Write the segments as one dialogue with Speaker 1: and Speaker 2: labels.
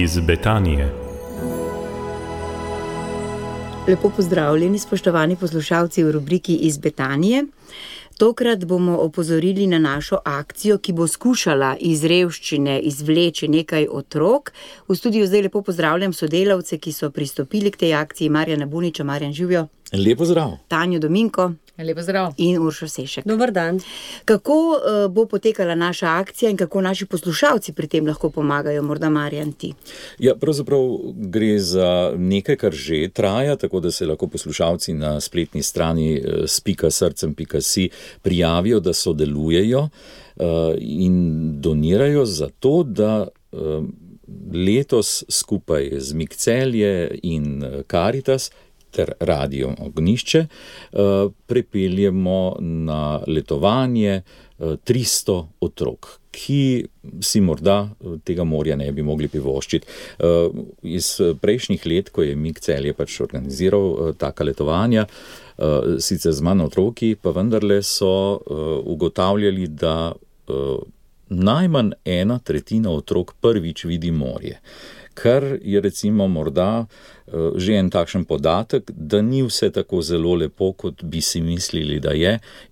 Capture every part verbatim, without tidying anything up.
Speaker 1: iz Betanije.
Speaker 2: Lepo pozdravljeni, spoštovani poslušalci v rubriki Iz Betanije. Tokrat bomo opozorili na našo akcijo, ki bo skušala iz revščine izvleči nekaj otrok. V studiu zdaj lepo pozdravljam sodelavce, ki so pristopili k tej akciji. Marjana Buniča, Marjan Živjo.
Speaker 3: Lepo zdrav.
Speaker 2: Tanjo Dominko.
Speaker 4: Lepo zdrav.
Speaker 2: In Uršo Sešek.
Speaker 4: Dober dan.
Speaker 2: Kako uh, bo potekala naša akcija in kako naši poslušalci pri tem lahko pomagajo? Morda Marjan ti.
Speaker 3: Ja, pravzaprav gre za nekaj, kar že traja, tako da se lahko poslušalci na spletni strani s pika srcem pika si prijavijo, da sodelujejo uh, in donirajo za to, da uh, letos skupaj z Mik Celje in Karitas ter Radio Ognjišče prepeljemo na letovanje tristo otrok, ki si morda tega morja ne bi mogli privoščiti. Iz prejšnjih let, ko je Mik Celje pač organiziral taka letovanja, sicer z manj otroki, pa vendarle so ugotavljali, da najmanj ena tretjina otrok prvič vidi morje. Kar je recimo morda že en takšen podatek, da ni vse tako zelo lepo, kot bi si mislili, da je,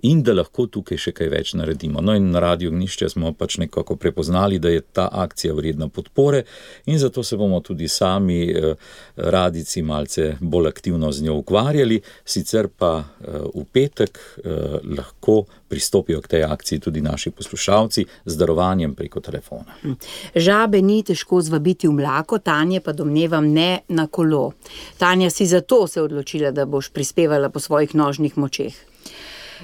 Speaker 3: in da lahko tukaj še kaj več naredimo. No in na Radio Ognjišče smo pač nekako prepoznali, da je ta akcija vredna podpore in zato se bomo tudi sami radijci malce bolj aktivno z njo ukvarjali, sicer pa v petek lahko pristopijo k tej akciji tudi naši poslušalci z darovanjem preko telefona.
Speaker 2: Žabe ni težko zvabiti v mlako, Tanje pa domnevam ne na kolo. Tanja, si zato se odločila, da boš prispevala po svojih nožnih močeh?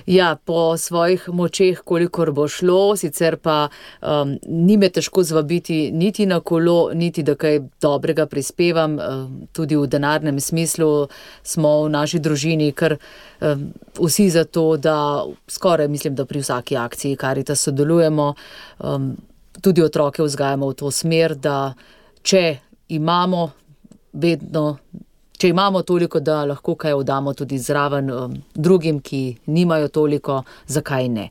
Speaker 4: Ja, po svojih močeh, kolikor bo šlo, sicer pa um, ni me težko zvabiti niti na kolo, niti da kaj dobrega prispevam. Um, tudi v denarnem smislu smo v naši družini kar um, vsi za to, da skoraj mislim, da pri vsaki akciji Karitas sodelujemo. Um, tudi otroke vzgajamo v to smer, da če imamo vedno, če imamo toliko, da lahko kaj oddamo tudi zraven um, drugim, ki nimajo toliko, zakaj ne.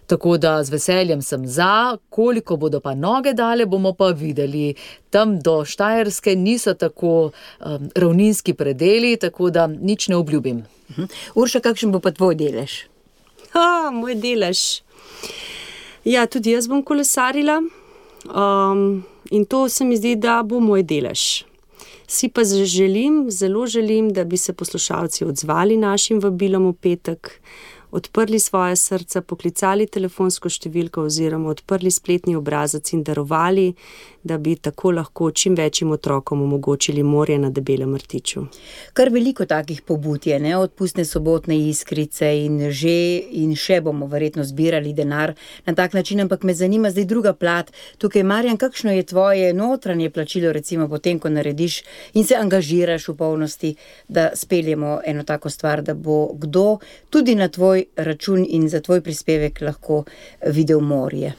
Speaker 4: Tako da z veseljem sem za, koliko bodo pa noge dale, bomo pa videli. Tam do Štajerske niso tako um, ravninski predeli, tako da nič ne obljubim.
Speaker 2: Uh-huh. Urša, kakšen bo pa tvoj delež?
Speaker 5: Ha, moj delež. Ja, tudi jaz bom kolesarila um, in to se mi zdi, da bo moj delež. Si pa želim, zelo želim, da bi se poslušalci odzvali našim vabilom v petek, odprli svoje srca, poklicali telefonsko številko oziroma odprli spletni obrazec in darovali, da bi tako lahko čim večjim otrokom omogočili morje na Debelem rtiču.
Speaker 2: Kar veliko takih pobud je, ne? Od pustne sobotne iskrice in že in še bomo verjetno zbirali denar na tak način, ampak me zanima zdaj druga plat. Tukaj, Marjan, kakšno je tvoje notranje plačilo, recimo potem, ko narediš in se angažiraš v polnosti, da speljemo eno tako stvar, da bo kdo tudi na tvoj račun in za tvoj prispevek lahko videl morje?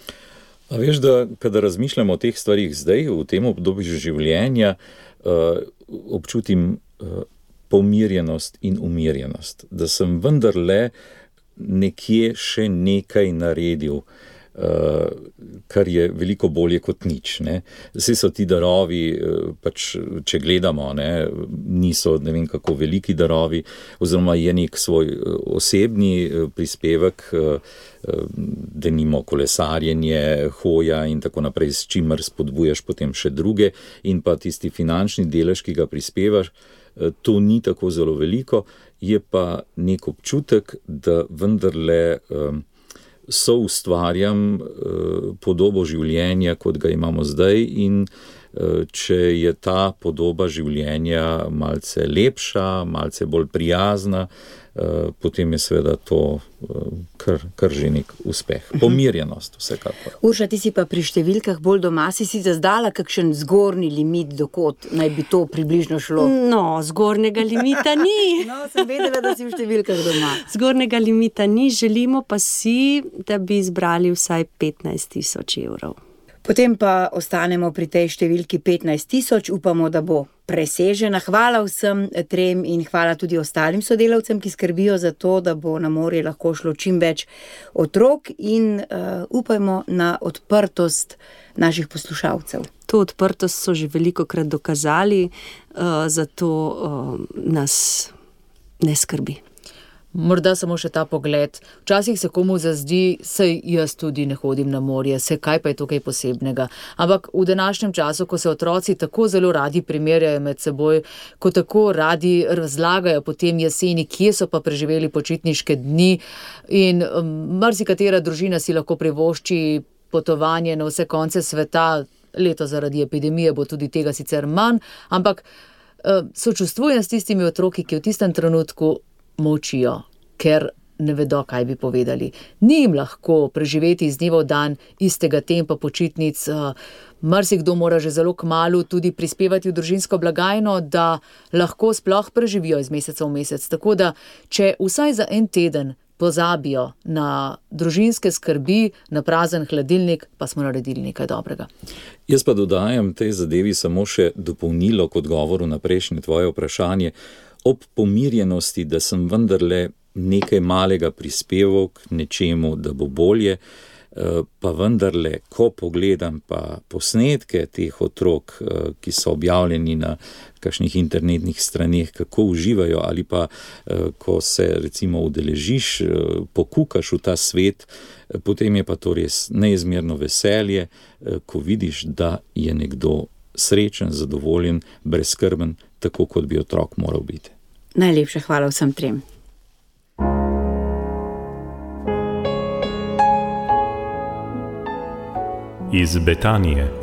Speaker 3: A veš, da kada razmišljamo o teh stvarih zdaj, v tem obdobju življenja, uh, občutim uh, pomirjenost in umirjenost, da sem vendarle nekje še nekaj naredil, uh, kar je veliko bolje kot nič. Ne? Vsi so ti darovi, uh, pač, če gledamo, ne, niso ne vem kako veliki darovi, oziroma je nek svoj uh, osebni uh, prispevek, uh, denimo kolesarjenje, hoja in tako naprej, s čimer spodbujaš potem še druge, in pa tisti finančni delež, ki ga prispevaš, to ni tako zelo veliko, je pa nek občutek, da vendarle um, so ustvarjam uh, podobo življenja, kot ga imamo zdaj, in uh, če je ta podoba življenja malce lepša, malce bolj prijazna, Uh, potem je seveda to uh, kar, kar že nek uspeh. Pomirjenost vsekakor.
Speaker 2: Urša, ti si pa pri številkah bolj doma, si si zazdala kakšen zgornji limit, dokot naj bi to približno šlo?
Speaker 5: No, zgornjega limita ni.
Speaker 2: No, sem vedela, da si v številkah doma.
Speaker 5: Zgornjega limita ni, želimo pa si, da bi izbrali vsaj petnajst tisoč evrov.
Speaker 2: Potem pa ostanemo pri tej številki petnajst tisoč, upamo, da bo presežena. Hvala vsem trem in hvala tudi ostalim sodelavcem, ki skrbijo za to, da bo na morje lahko šlo čim več otrok in uh, upajmo na odprtost naših poslušalcev.
Speaker 5: To odprtost so že velikokrat dokazali, uh, zato uh, nas ne skrbi.
Speaker 4: Morda samo še ta pogled. Včasih se komu zazdi, saj jaz tudi ne hodim na morje, se kaj pa je tukaj posebnega. Ampak v današnjem času, ko se otroci tako zelo radi primerjajo med seboj, ko tako radi razlagajo potem jeseni, kje so pa preživeli počitniške dni in um, marsikatera družina si lahko privošči potovanje na vse konce sveta, leto zaradi epidemije bo tudi tega sicer manj, ampak uh, sočustvujem s tistimi otroki, ki v tistem trenutku molčijo, ker ne vedo, kaj bi povedali. Ni jim lahko preživeti iz dneva v dan istega tempa počitnic. Marsikdo mora že zelo kmalu tudi prispevati v družinsko blagajno, da lahko sploh preživijo iz meseca v mesec. Tako da, če vsaj za en teden pozabijo na družinske skrbi, na prazen hladilnik, pa smo naredili nekaj dobrega.
Speaker 3: Jaz pa dodajam tej zadevi samo še dopolnilo k odgovoru na prejšnje tvoje vprašanje. Ob pomirjenosti, da sem vendarle nekaj malega prispeval k nečemu, da bo bolje, pa vendarle, ko pogledam pa posnetke teh otrok, ki so objavljeni na kakšnih internetnih straneh, kako uživajo ali pa, ko se recimo udeležiš, pokukaš v ta svet, potem je pa to res neizmerno veselje, ko vidiš, da je nekdo srečen, zadovoljen, brezskrben, tako kot bi otrok moral biti.
Speaker 2: Najlepša hvala vsem trem.
Speaker 1: Iz Betanije.